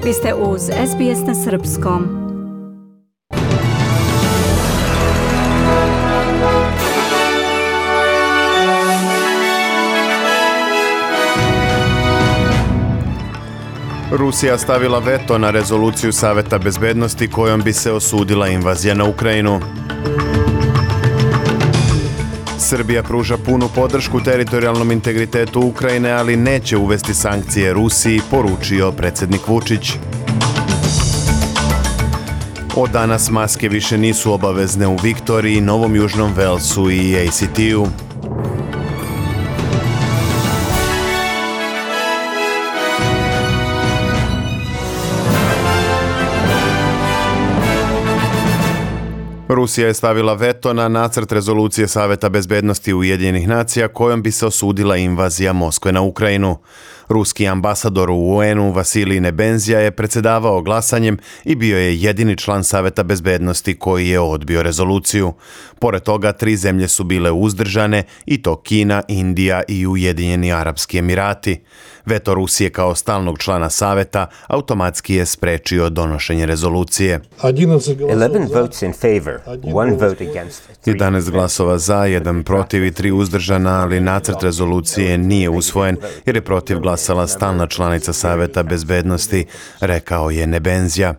Vi ste uz SBS na srpskom. Rusija stavila veto na rezoluciju Saveta bezbednosti kojom bi se osudila invazija na Ukrajinu. Srbija pruža punu podršku teritorijalnom integritetu Ukrajine, ali neće uvesti sankcije Rusiji, poručio predsjednik Vučić. Od danas maske više nisu obavezne u Viktoriji, Novom Južnom Velsu i ACT-u. Rusija je stavila veto na nacrt rezolucije Saveta bezbednosti Ujedinjenih nacija kojom bi se osudila invazija Moskve na Ukrajinu. Ruski ambasador u UN-u Vasilij Nebenzija je predsjedavao glasanjem i bio je jedini član Saveta bezbednosti koji je odbio rezoluciju. Pored toga, 3 zemlje su bile uzdržane, i to Kina, Indija i Ujedinjeni Arapski Emirati. Veto Rusije kao stalnog člana Saveta automatski je sprečio donošenje rezolucije. 11 votes in favor, 1 vote against. 11 glasova za, 1 protiv i 3 uzdržana, ali nacrt rezolucije nije usvojen jer je protiv glasala stalna članica Saveta bezbednosti, rekao je Nebenzija.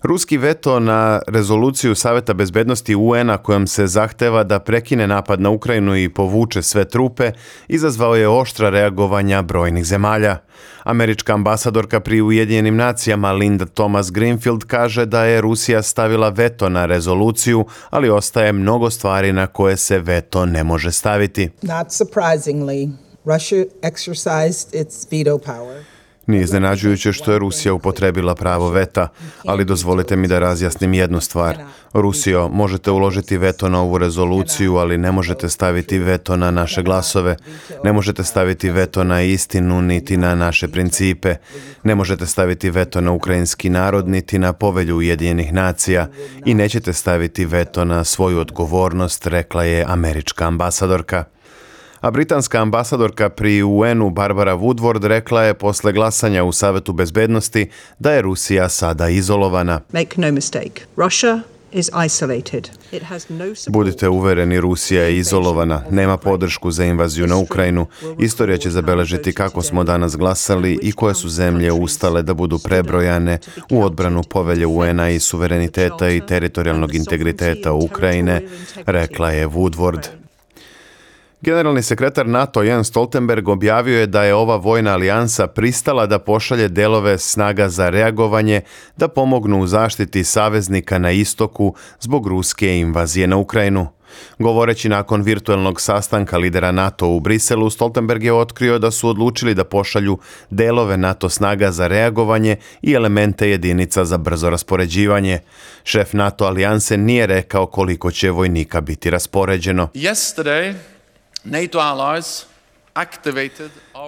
Ruski veto na rezoluciju Saveta bezbednosti UN-a kojom se zahteva da prekine napad na Ukrajinu i povuče sve trupe, izazvao je oštra reagovanja brojnih zemalja. Američka ambasadorka pri Ujedinjenim nacijama Linda Thomas-Greenfield kaže da je Rusija stavila veto na rezoluciju, ali ostaje mnogo stvari na koje se veto ne može staviti. Not surprisingly, Russia exercised its veto power. Nije iznenađujuće što je Rusija upotrebila pravo veta, ali dozvolite mi da razjasnim jednu stvar. Rusijo, možete uložiti veto na ovu rezoluciju, ali ne možete staviti veto na naše glasove. Ne možete staviti veto na istinu, niti na naše principe. Ne možete staviti veto na ukrajinski narod, niti na povelju Ujedinjenih nacija. I nećete staviti veto na svoju odgovornost, rekla je američka ambasadorka. A britanska ambasadorka pri UN-u Barbara Woodward rekla je posle glasanja u Savetu bezbednosti da je Rusija sada izolovana. Make no mistake, Russia is isolated. It has no support. Budite uvereni, Rusija je izolovana, nema podršku za invaziju na Ukrajinu. Istorija će zabeležiti kako smo danas glasali i koje su zemlje ustale da budu prebrojane u odbranu povelje UN-a i suvereniteta i teritorijalnog integriteta Ukrajine, rekla je Woodward. Generalni sekretar NATO Jens Stoltenberg objavio je da je ova vojna alijansa pristala da pošalje delove snaga za reagovanje da pomognu u zaštiti saveznika na istoku zbog ruske invazije na Ukrajinu. Govoreći nakon virtualnog sastanka lidera NATO u Briselu, Stoltenberg je otkrio da su odlučili da pošalju delove NATO snaga za reagovanje i elemente jedinica za brzo raspoređivanje. Šef NATO alijanse nije rekao koliko će vojnika biti raspoređeno.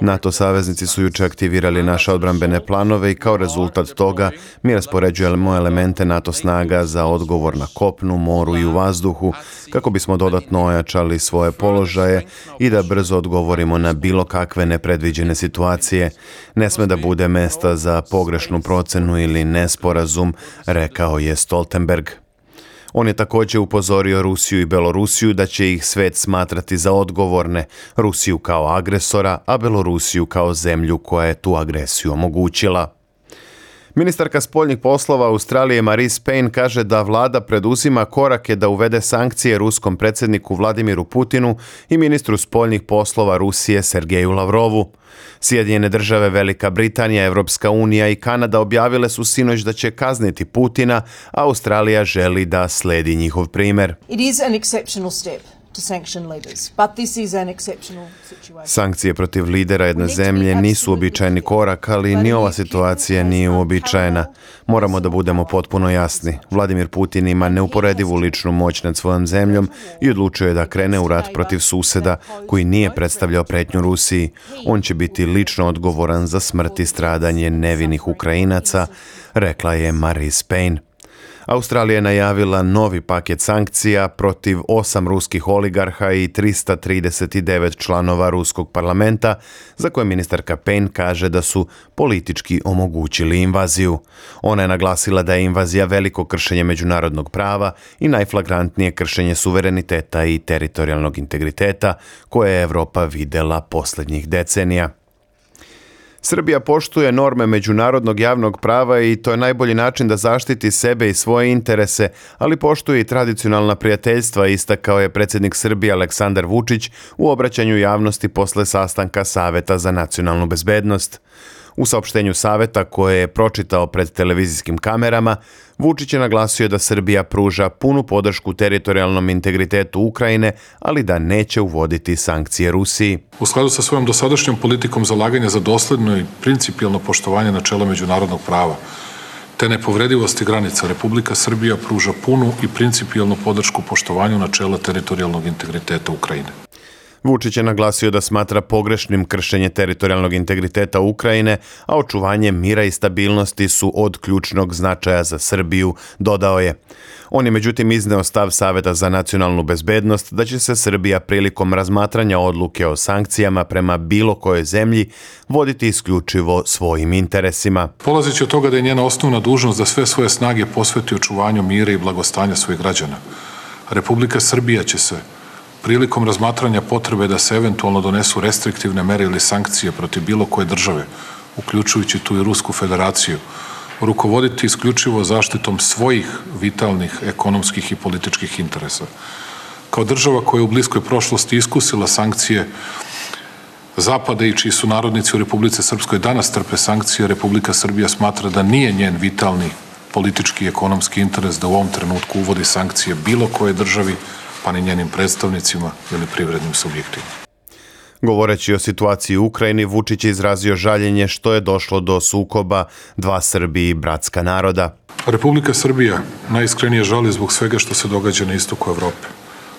NATO saveznici su juče aktivirali naše odbrambene planove i kao rezultat toga mi raspoređujemo elemente NATO snaga za odgovor na kopnu, moru i u vazduhu kako bismo dodatno ojačali svoje položaje i da brzo odgovorimo na bilo kakve nepredviđene situacije. Ne sme da bude mesta za pogrešnu procenu ili nesporazum, rekao je Stoltenberg. On je također upozorio Rusiju i Belorusiju da će ih svet smatrati za odgovorne, Rusiju kao agresora, a Belorusiju kao zemlju koja je tu agresiju omogućila. Ministarka spoljnih poslova Australije Marise Payne kaže da vlada preduzima korake da uvede sankcije ruskom predsjedniku Vladimiru Putinu i ministru spoljnih poslova Rusije Sergeju Lavrovu. Sjedinjene države, Velika Britanija, Evropska unija i Kanada objavile su sinoć da će kazniti Putina, a Australija želi da sledi njihov primjer. It is an exceptional step to sanction leaders, but this is an exceptional situation. Sankcije protiv lidera jedne zemlje nisu uobičajeni korak, ali ni ova situacija nije uobičajena. Moramo da budemo potpuno jasni. Vladimir Putin ima neuporedivu ličnu moć nad svojom zemljom i odlučio je da krene u rat protiv suseda koji nije predstavljao pretnju Rusiji. On će biti lično odgovoran za smrt i stradanje nevinih Ukrajinaca, rekla je Marise Payne. Australija je najavila novi paket sankcija protiv 8 ruskih oligarha i 339 članova ruskog parlamenta, za koje ministarka Payne kaže da su politički omogućili invaziju. Ona je naglasila da je invazija veliko kršenje međunarodnog prava i najflagrantnije kršenje suvereniteta i teritorijalnog integriteta koje je Evropa videla posljednjih decenija. Srbija poštuje norme međunarodnog javnog prava i to je najbolji način da zaštiti sebe i svoje interese, ali poštuje i tradicionalna prijateljstva, istakao je predsjednik Srbije Aleksandar Vučić u obraćanju javnosti posle sastanka Saveta za nacionalnu bezbednost. U saopštenju Saveta koje je pročitao pred televizijskim kamerama, Vučić je naglasio da Srbija pruža punu podršku teritorijalnom integritetu Ukrajine, ali da neće uvoditi sankcije Rusiji. U skladu sa svojom dosadašnjom politikom zalaganja za dosledno i principijelno poštovanje načela međunarodnog prava, te nepovredivosti granica, Republika Srbija pruža punu i principijelnu podršku poštovanju načela teritorijalnog integriteta Ukrajine. Vučić je naglasio da smatra pogrešnim kršenje teritorijalnog integriteta Ukrajine, a očuvanje mira i stabilnosti su od ključnog značaja za Srbiju, dodao je. On je međutim izneo stav Saveta za nacionalnu bezbednost da će se Srbija prilikom razmatranja odluke o sankcijama prema bilo kojoj zemlji voditi isključivo svojim interesima. Polazeći od toga da je njena osnovna dužnost da sve svoje snage posveti očuvanju mira i blagostanja svojih građana, Republika Srbija će se prilikom razmatranja potrebe da se eventualno donesu restriktivne mere ili sankcije protiv bilo koje države, uključujući tu i Rusku federaciju, rukovoditi isključivo zaštitom svojih vitalnih ekonomskih i političkih interesa. Kao država koja je u bliskoj prošlosti iskusila sankcije Zapada i čiji su narodnici u Republici Srpskoj danas trpe sankcije, Republika Srbija smatra da nije njen vitalni politički i ekonomski interes da u ovom trenutku uvodi sankcije bilo koje državi, pa ni njenim predstavnicima ili privrednim subjektima. Govoreći o situaciji u Ukrajini, Vučić je izrazio žaljenje što je došlo do sukoba dva Srbi i bratska naroda. Republika Srbija najiskrenije žali zbog svega što se događa na istoku Evrope.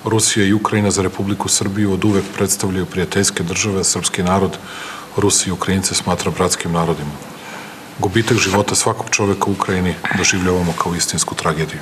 Rusija i Ukrajina za Republiku Srbiju od uvek predstavljaju prijateljske države, a srpski narod Rusi i Ukrajince smatra bratskim narodima. Gubitak života svakog čoveka u Ukrajini doživljavamo kao istinsku tragediju.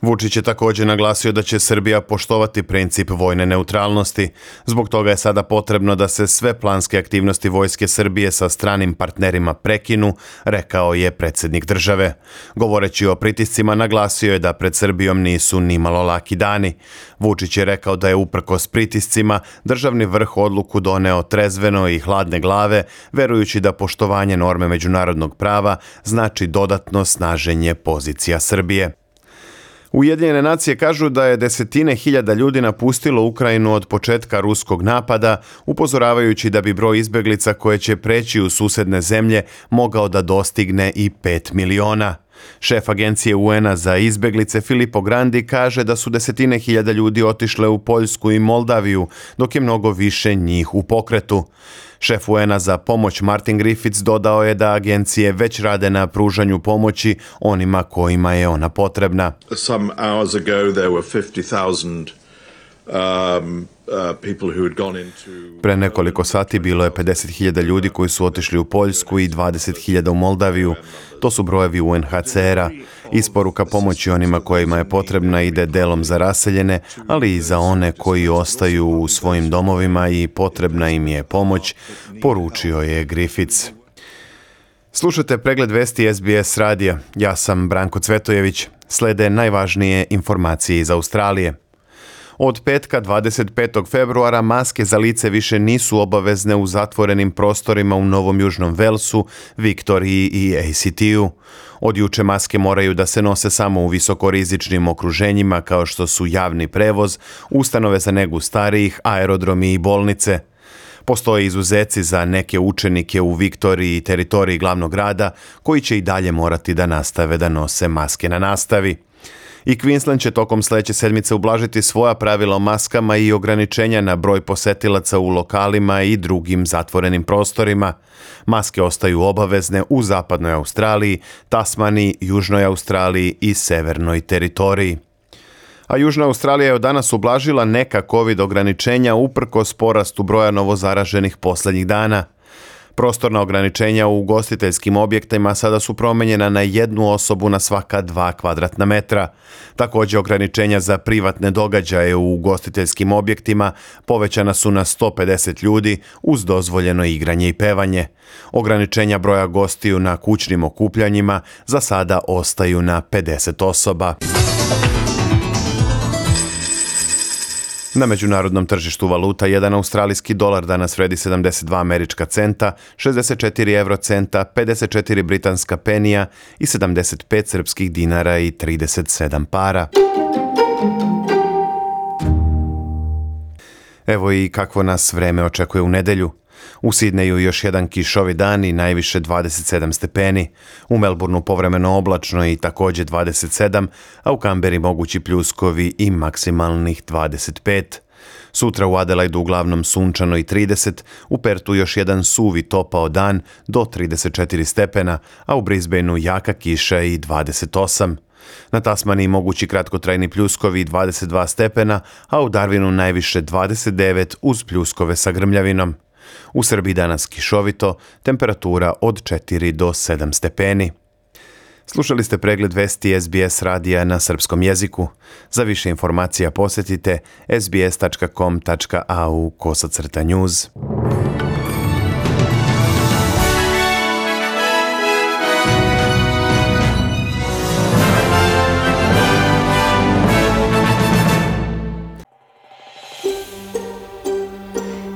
Vučić je također naglasio da će Srbija poštovati princip vojne neutralnosti. Zbog toga je sada potrebno da se sve planske aktivnosti vojske Srbije sa stranim partnerima prekinu, rekao je predsjednik države. Govoreći o pritiscima, naglasio je da pred Srbijom nisu nimalo laki dani. Vučić je rekao da je uprkos pritiscima državni vrh odluku doneo trezveno i hladne glave, verujući da poštovanje norme međunarodnog prava znači dodatno snaženje pozicija Srbije. Ujedinjene nacije kažu da je desetine hiljada ljudi napustilo Ukrajinu od početka ruskog napada, upozoravajući da bi broj izbjeglica koje će preći u susedne zemlje mogao da dostigne i 5 miliona. Šef agencije UN-a za izbjeglice Filippo Grandi kaže da su desetine hiljada ljudi otišle u Poljsku i Moldaviju, dok je mnogo više njih u pokretu. Šef UN-a za pomoć Martin Griffiths dodao je da agencije već rade na pružanju pomoći onima kojima je ona potrebna. Some hours ago there were 50,000 Pre nekoliko sati bilo je 50.000 ljudi koji su otišli u Poljsku i 20.000 u Moldaviju. To su brojevi UNHCR-a. Isporuka pomoći onima kojima je potrebna ide delom za raseljene, ali i za one koji ostaju u svojim domovima i potrebna im je pomoć, poručio je Griffiths. Slušajte pregled vesti SBS radija. Ja sam Branko Cvetojević. Slede najvažnije informacije iz Australije. Od petka 25. februara maske za lice više nisu obavezne u zatvorenim prostorima u Novom Južnom Velsu, Viktoriji i ACT-u. Od juče maske moraju da se nose samo u visokorizičnim okruženjima kao što su javni prevoz, ustanove za negu starijih, aerodromi i bolnice. Postoje izuzeci za neke učenike u Viktoriji i teritoriji glavnog grada koji će i dalje morati da nastave da nose maske na nastavi. I Queensland će tokom sledeće sedmice ublažiti svoja pravila o maskama i ograničenja na broj posetilaca u lokalima i drugim zatvorenim prostorima. Maske ostaju obavezne u zapadnoj Australiji, Tasmaniji, Južnoj Australiji i severnoj teritoriji. A Južna Australija je od danas ublažila neka COVID ograničenja uprkos porastu broja novozaraženih poslednjih dana. Prostorna ograničenja u ugostiteljskim objektima sada su promenjena na 1 osobu na svaka 2 kvadratna metra. Također ograničenja za privatne događaje u ugostiteljskim objektima povećana su na 150 ljudi uz dozvoljeno igranje i pevanje. Ograničenja broja gostiju na kućnim okupljanjima za sada ostaju na 50 osoba. Na međunarodnom tržištu valuta jedan australijski dolar danas vredi 72 američka centa, 64 eurocenta, 54 britanska penija i 75 srpskih dinara i 37 para. Evo i kakvo nas vreme očekuje u nedelju. U Sidneju još jedan kišovi dan i najviše 27 stepeni. U Melbourneu povremeno oblačno i također 27, a u Kamberi mogući pljuskovi i maksimalnih 25. Sutra u Adelaidu uglavnom sunčano i 30, u Pertu još jedan suvi topao dan do 34 stepena, a u Brisbaneu jaka kiša i 28. Na Tasmaniji mogući kratkotrajni pljuskovi 22 stepena, a u Darwinu najviše 29 uz pljuskove sa grmljavinom. U Srbiji danas kišovito, temperatura od 4 do 7 stepeni. Slušali ste pregled vesti SBS radija na srpskom jeziku. Za više informacija posjetite sbs.com.au/news.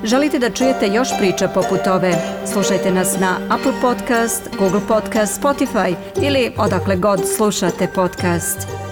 Želite da čujete još priča poput ove? Slušajte nas na Apple Podcast, Google Podcast, Spotify ili odakle god slušate podcast.